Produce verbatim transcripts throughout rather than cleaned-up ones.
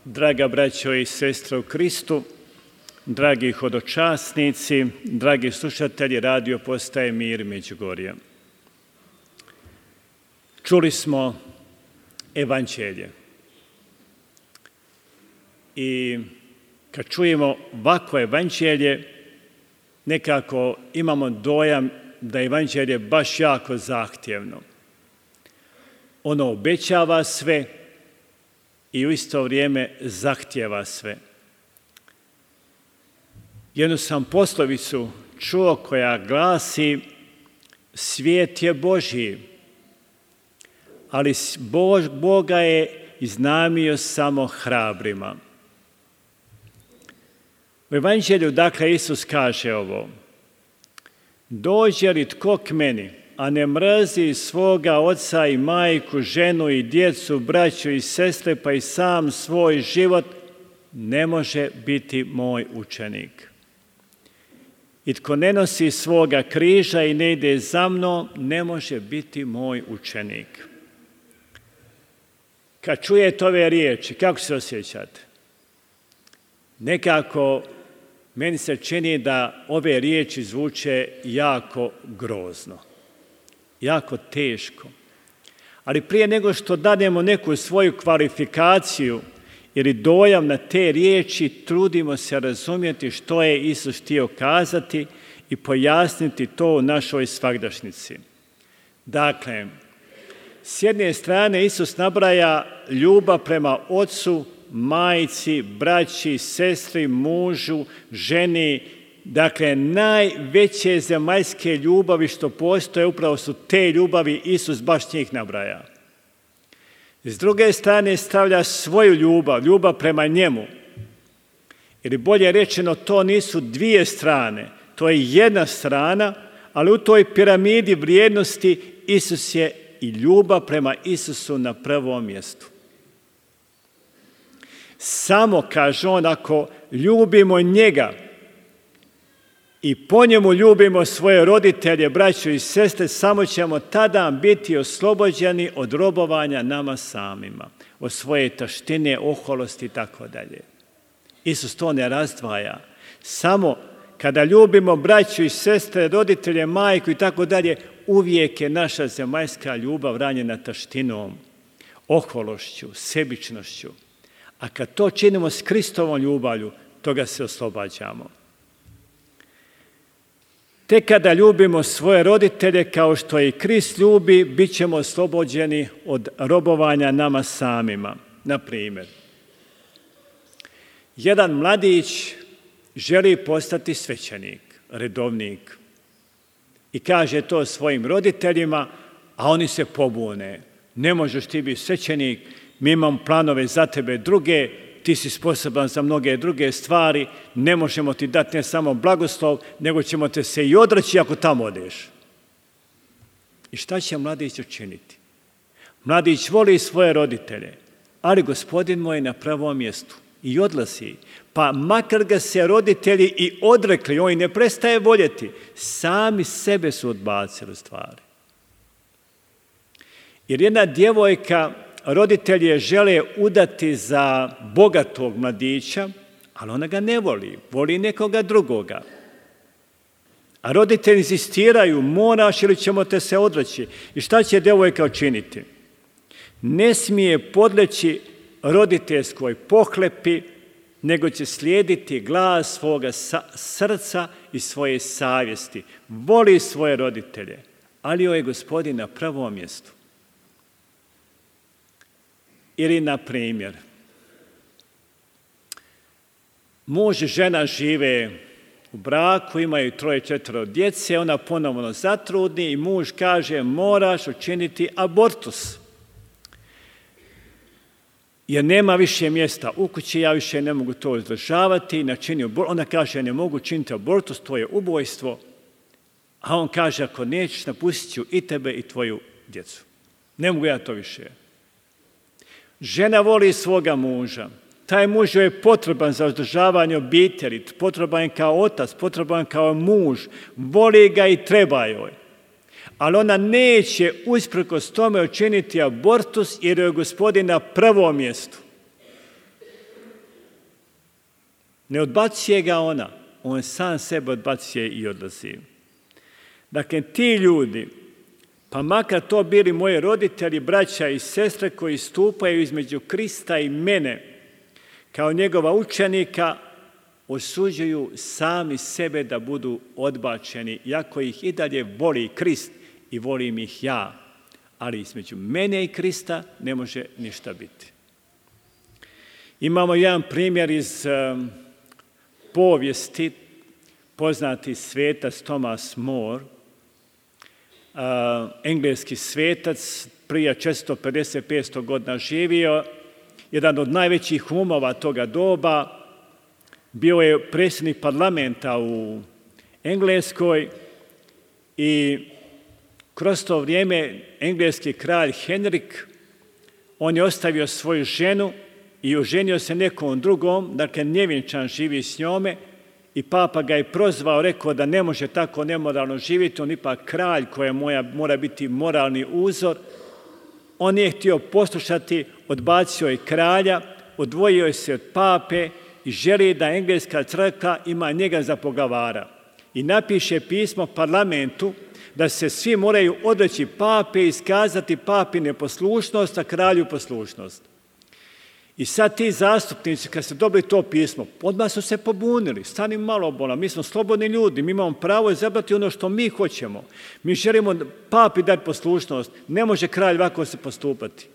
Draga braćo i sestre u Kristu, dragi hodočasnici, dragi slušatelji radio postaje Mir Međugorja. Čuli smo evanđelje. I kad čujemo ovako evanđelje, nekako imamo dojam da je evanđelje baš jako zahtjevno. Ono obećava sve i u isto vrijeme zahtjeva sve. Jednu sam poslovicu čuo koja glasi: svijet je Božji, ali Boga je iznajmio samo hrabrima. U evanđelju, dakle, Isus kaže ovo: dođe li tko k meni, a ne mrzi svoga oca i majku, ženu i djecu, braću i sestre, pa i sam svoj život, ne može biti moj učenik. I tko ne nosi svoga križa i ne ide za mnom, ne može biti moj učenik. Kad čujete ove riječi, kako se osjećate? Nekako meni se čini da ove riječi zvuče jako grozno, jako teško. Ali prije nego što dademo neku svoju kvalifikaciju ili dojam na te riječi, trudimo se razumjeti što je Isus htio kazati i pojasniti to u našoj svagdašnjici. Dakle, s jedne strane Isus nabraja ljubav prema ocu, majci, braći, sestri, mužu, ženi. Dakle, najveće zemaljske ljubavi što postoje, upravo su te ljubavi, Isus baš njih nabraja. S druge strane stavlja svoju ljubav, ljubav prema njemu. Ili bolje rečeno, to nisu dvije strane, to je jedna strana, ali u toj piramidi vrijednosti Isus je i ljubav prema Isusu na prvom mjestu. Samo, kaže on, ako ljubimo njega i po njemu ljubimo svoje roditelje, braću i sestre, samo ćemo tada biti oslobođeni od robovanja nama samima, od svoje taštine, oholosti i tako dalje. Isus to ne razdvaja. Samo kada ljubimo braću i sestre, roditelje, majku i tako dalje, uvijek je naša zemaljska ljubav ranjena taštinom, ohološću, sebičnošću. A kad to činimo s Kristovom ljubavlju, toga se oslobađamo. Tek kada ljubimo svoje roditelje kao što i Krist ljubi, bit ćemo oslobođeni od robovanja nama samima. Na primjer, jedan mladić želi postati svećenik, redovnik, i kaže to svojim roditeljima, a oni se pobune. Ne možeš ti biti svećenik, mi imamo planove za tebe druge, ti si sposoban za mnoge druge stvari, ne možemo ti dati ne samo blagoslov, nego ćemo te se i odreći ako tamo odeš. I šta će mladić učiniti? Mladić voli svoje roditelje, ali Gospodin mu je na prvom mjestu i odlazi. Pa makar ga se roditelji i odrekli, on ne prestaje voljeti, sami sebe su odbacili stvari. Jer jedna djevojka, roditelji je žele udati za bogatog mladića, ali ona ga ne voli, voli nekoga drugoga. A roditelji insistiraju, moraš ili ćemo te se odreći. I šta će djevojka učiniti? Ne smije podleći roditeljskoj pohlepi, nego će slijediti glas svoga srca i svoje savjesti. Voli svoje roditelje, ali joj je Gospodin na prvom mjestu. Ili, na primjer, muž i žena žive u braku, imaju troje, četvero djece, ona ponovno zatrudni i muž kaže moraš učiniti abortus. Jer nema više mjesta u kući, ja više ne mogu to izdržavati, načini abortus. Ona kaže ne mogu činiti abortus, to je ubojstvo. A on kaže ako nećeš, napustit ću i tebe i tvoju djecu. Ne mogu ja to više. Žena voli svoga muža. Taj muž joj je potreban za uzdržavanje obitelji, potreban je kao otac, potreban kao muž, voli ga i treba joj. Ali ona neće usprkos tome učiniti abortus jer je Gospodin na prvom mjestu. Ne odbacuje ga ona, on sam sebe odbacuje i odlazi. Dakle, ti ljudi, pa makar to bili moji roditelji, braća i sestre koji stupaju između Krista i mene, kao njegova učenika, osuđuju sami sebe da budu odbačeni, iako ih i dalje voli Krist i volim ih ja. Ali između mene i Krista ne može ništa biti. Imamo jedan primjer iz um, povijesti, poznati svetac Thomas More, uh, engleski svetac, prije četiristo pedeset do petsto godina živio, jedan od najvećih umova toga doba, bio je predsjednik parlamenta u Engleskoj i kroz to vrijeme engleski kralj Henrik, on je ostavio svoju ženu i oženio se nekom drugom, dakle nevjenčan živi s njome, i papa ga je prozvao, rekao da ne može tako nemoralno živjeti, on ipak kralj koji moja, mora biti moralni uzor. On nije htio poslušati, odbacio je kralja, odvojio je se od pape i želi da engleska crkva ima njega za poglavara. I napiše pismo parlamentu da se svi moraju odreći pape i iskazati papi neposlušnost, a kralju poslušnost. I sad ti zastupnici, kad su dobili to pismo, odmah su se pobunili. Stani malo, bola, mi smo slobodni ljudi, mi imamo pravo izabrati ono što mi hoćemo. Mi želimo papi dati poslušnost, ne može kralj ovako se postupati.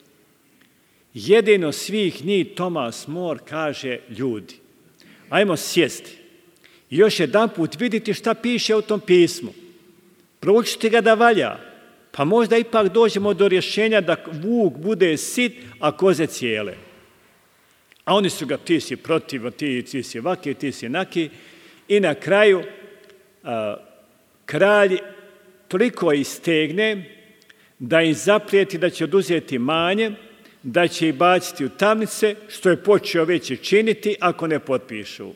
Jedino svih njih Thomas More kaže: ljudi, ajmo sjesti i još jedan put vidjeti šta piše u tom pismu. Proučiti ga da valja, pa možda ipak dođemo do rješenja da vuk bude sit, a koze cijele. A oni su ga, ti si protiv, ti, ti si ovaki, ti si onaki. I na kraju a, kralj toliko istegne da im zaprijeti da će oduzeti manje, da će ih baciti u tamnice, što je počeo već i činiti ako ne potpišu.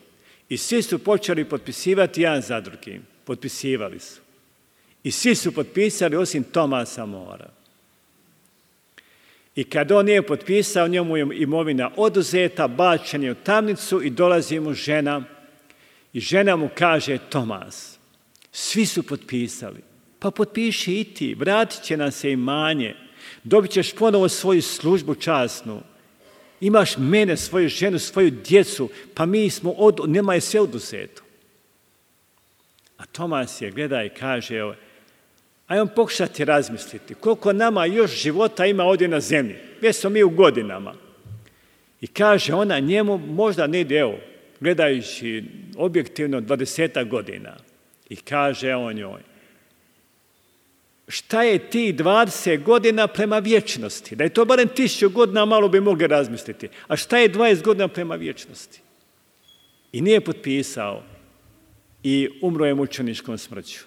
I svi su počeli potpisivati jedan za drugim. Potpisivali su. I svi su potpisali osim Thomasa Morea. I kad on nije potpisao, njemu je imovina oduzeta, bačen je u tamnicu i dolazi mu žena. I žena mu kaže: Tomas, svi su potpisali, pa potpiši i ti, vratit će nam se imanje, dobit ćeš ponovo svoju službu časnu, imaš mene, svoju ženu, svoju djecu, pa mi smo, od, nema je sve oduzeto. A Tomas je gleda i kaže: evo, ajmo pokušati razmisliti koliko nama još života ima ovdje na zemlji. Već smo mi u godinama. I kaže ona njemu, možda ne ide, evo, gledajući objektivno dvadesetak godina. I kaže on njoj: šta je ti dvadeset godina prema vječnosti? Da je to barem tisuću godina, malo bi mogli razmisliti. A šta je dvadeset godina prema vječnosti? I nije potpisao i umro je mučeničkom smrću.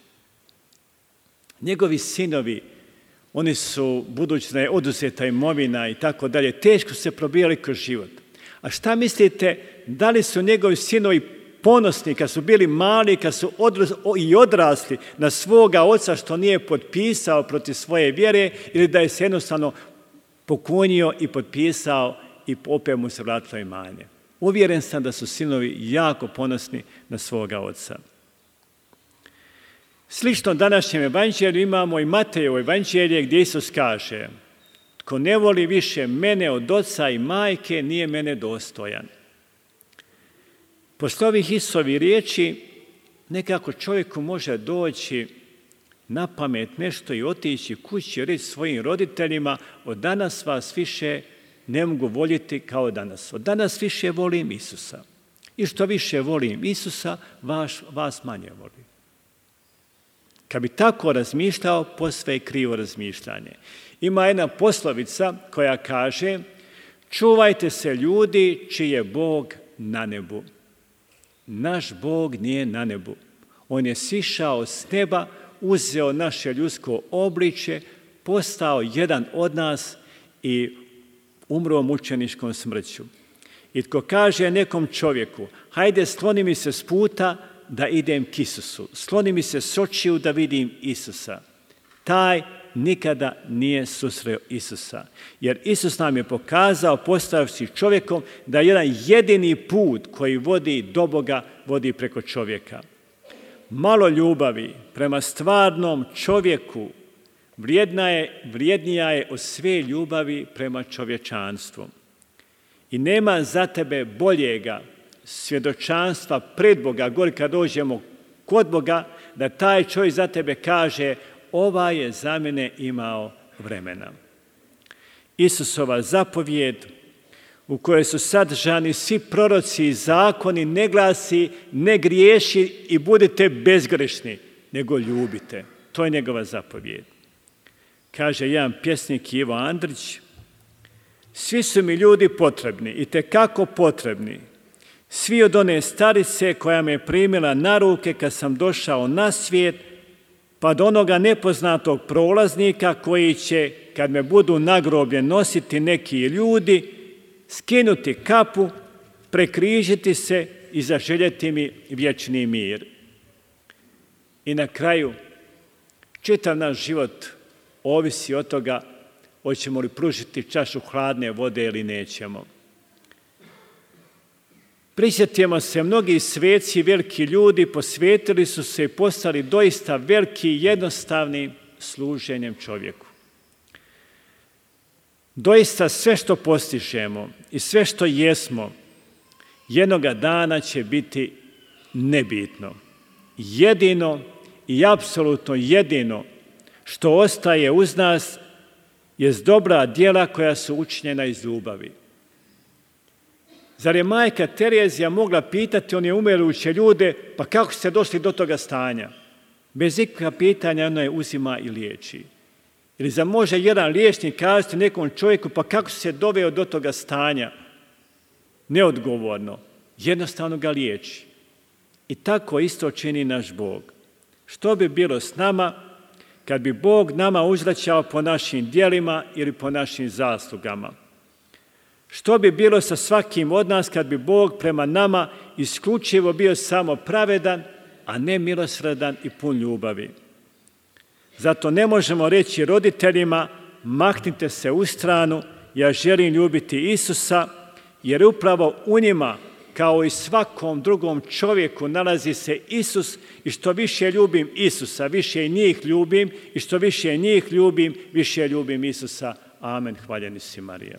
Njegovi sinovi, oni su, budući da je oduzeta imovina i tako dalje, teško se probijali kroz život. A šta mislite, da li su njegovi sinovi ponosni kad su bili mali, kad su odras, i odrasli na svoga oca što nije potpisao protiv svoje vjere, ili da je se jednostavno pokunio i potpisao i opet mu se vratilo imanje? Uvjeren sam da su sinovi jako ponosni na svoga oca. Slično današnjem evanđelju imamo i Matejevo evanđelje gdje Isus kaže: tko ne voli više mene od oca i majke, nije mene dostojan. Posle ovih Isusovih riječi nekako čovjeku može doći na pamet nešto i otići kući i reći svojim roditeljima: od danas vas više ne mogu voljeti kao danas. Od danas više volim Isusa. I što više volim Isusa, vas, vas manje volim. Kad bi tako razmišljao, posve je krivo razmišljanje. Ima jedna poslovica koja kaže: čuvajte se ljudi čiji je Bog na nebu. Naš Bog nije na nebu. On je sišao s neba, uzeo naše ljudsko obličje, postao jedan od nas i umro mučeničkom smrću. I tko kaže nekom čovjeku: hajde skloni mi se s puta da idem k Isusu, skloni mi se s očiju da vidim Isusa, taj nikada nije susreo Isusa. Jer Isus nam je pokazao, postavivši čovjekom, da jedan jedini put koji vodi do Boga, vodi preko čovjeka. Malo ljubavi prema stvarnom čovjeku vrijedna je, vrijednija je od sve ljubavi prema čovječanstvu. I nema za tebe boljega svjedočanstva pred Boga, gori kad dođemo kod Boga, da taj čovjek za tebe kaže: ova je za mene imao vremena. Isusova zapovjed, u kojoj su sadržani svi proroci i zakoni, ne glasi: ne griješi i budite bezgrešni, nego ljubite. To je njegova zapovjed. Kaže jedan pjesnik, Ivo Andrić: svi su mi ljudi potrebni, i tekako potrebni. Svi od one starice koja me primila na ruke kad sam došao na svijet, pa do onoga nepoznatog prolaznika koji će, kad me budu na groblje nositi neki ljudi, skinuti kapu, prekrižiti se i zaželjeti mi vječni mir. I na kraju, čitav naš život ovisi od toga hoćemo li pružiti čašu hladne vode ili nećemo. Prisjetimo se, mnogi sveci, veliki ljudi posvetili su se i postali doista veliki i jednostavni služenjem čovjeku. Doista sve što postižemo i sve što jesmo, jednoga dana će biti nebitno. Jedino i apsolutno jedino što ostaje uz nas jest dobra djela koja su učinjena iz ljubavi. Zar je majka Terezija mogla pitati one umiruće ljude: pa kako ste došli do toga stanja? Bez ikakva pitanja ona je uzima i liječi. Ili zar može jedan liječnik kazati nekom čovjeku: pa kako se doveo do toga stanja? Neodgovorno, jednostavno ga liječi. I tako isto čini naš Bog. Što bi bilo s nama kad bi Bog nama uzvraćao po našim djelima ili po našim zaslugama? Što bi bilo sa svakim od nas kad bi Bog prema nama isključivo bio samo pravedan, a ne milosrdan i pun ljubavi? Zato ne možemo reći roditeljima: maknite se u stranu, ja želim ljubiti Isusa, jer upravo u njima, kao i svakom drugom čovjeku, nalazi se Isus, i što više ljubim Isusa, više i njih ljubim, i što više njih ljubim, više ljubim Isusa. Amen. Hvaljeni si, Marija.